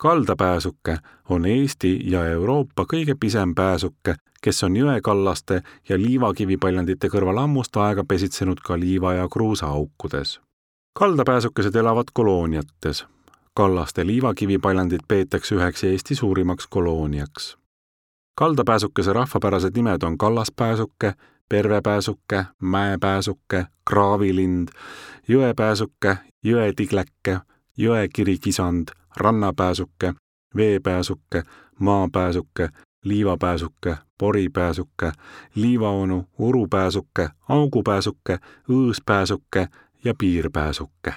Kaldapääsuke on Eesti ja Euroopa kõige pisem pääsuke, kes on jõekallaste ja liivakivipaljandite kõrval ammust aega pesitsenud ka liiva- ja kruusaaukudes. Kaldapääsukesed elavad kolooniates. Kallaste liivakivipaljandid peetakse üheks Eesti suurimaks kolooniaks. Kaldapääsukese rahvapärased nimed on kallaspääsuke, pervepääsuke, mäepääsuke, kraavilind, jõepääsuke, jõetigläkke, jõekirikisand, rannapääsuke, veepääsuke, maapääsuke, liivapääsuke, poripääsuke, liivaonu, urupääsuke, augupääsuke, õõspääsuke ja piirpääsuke.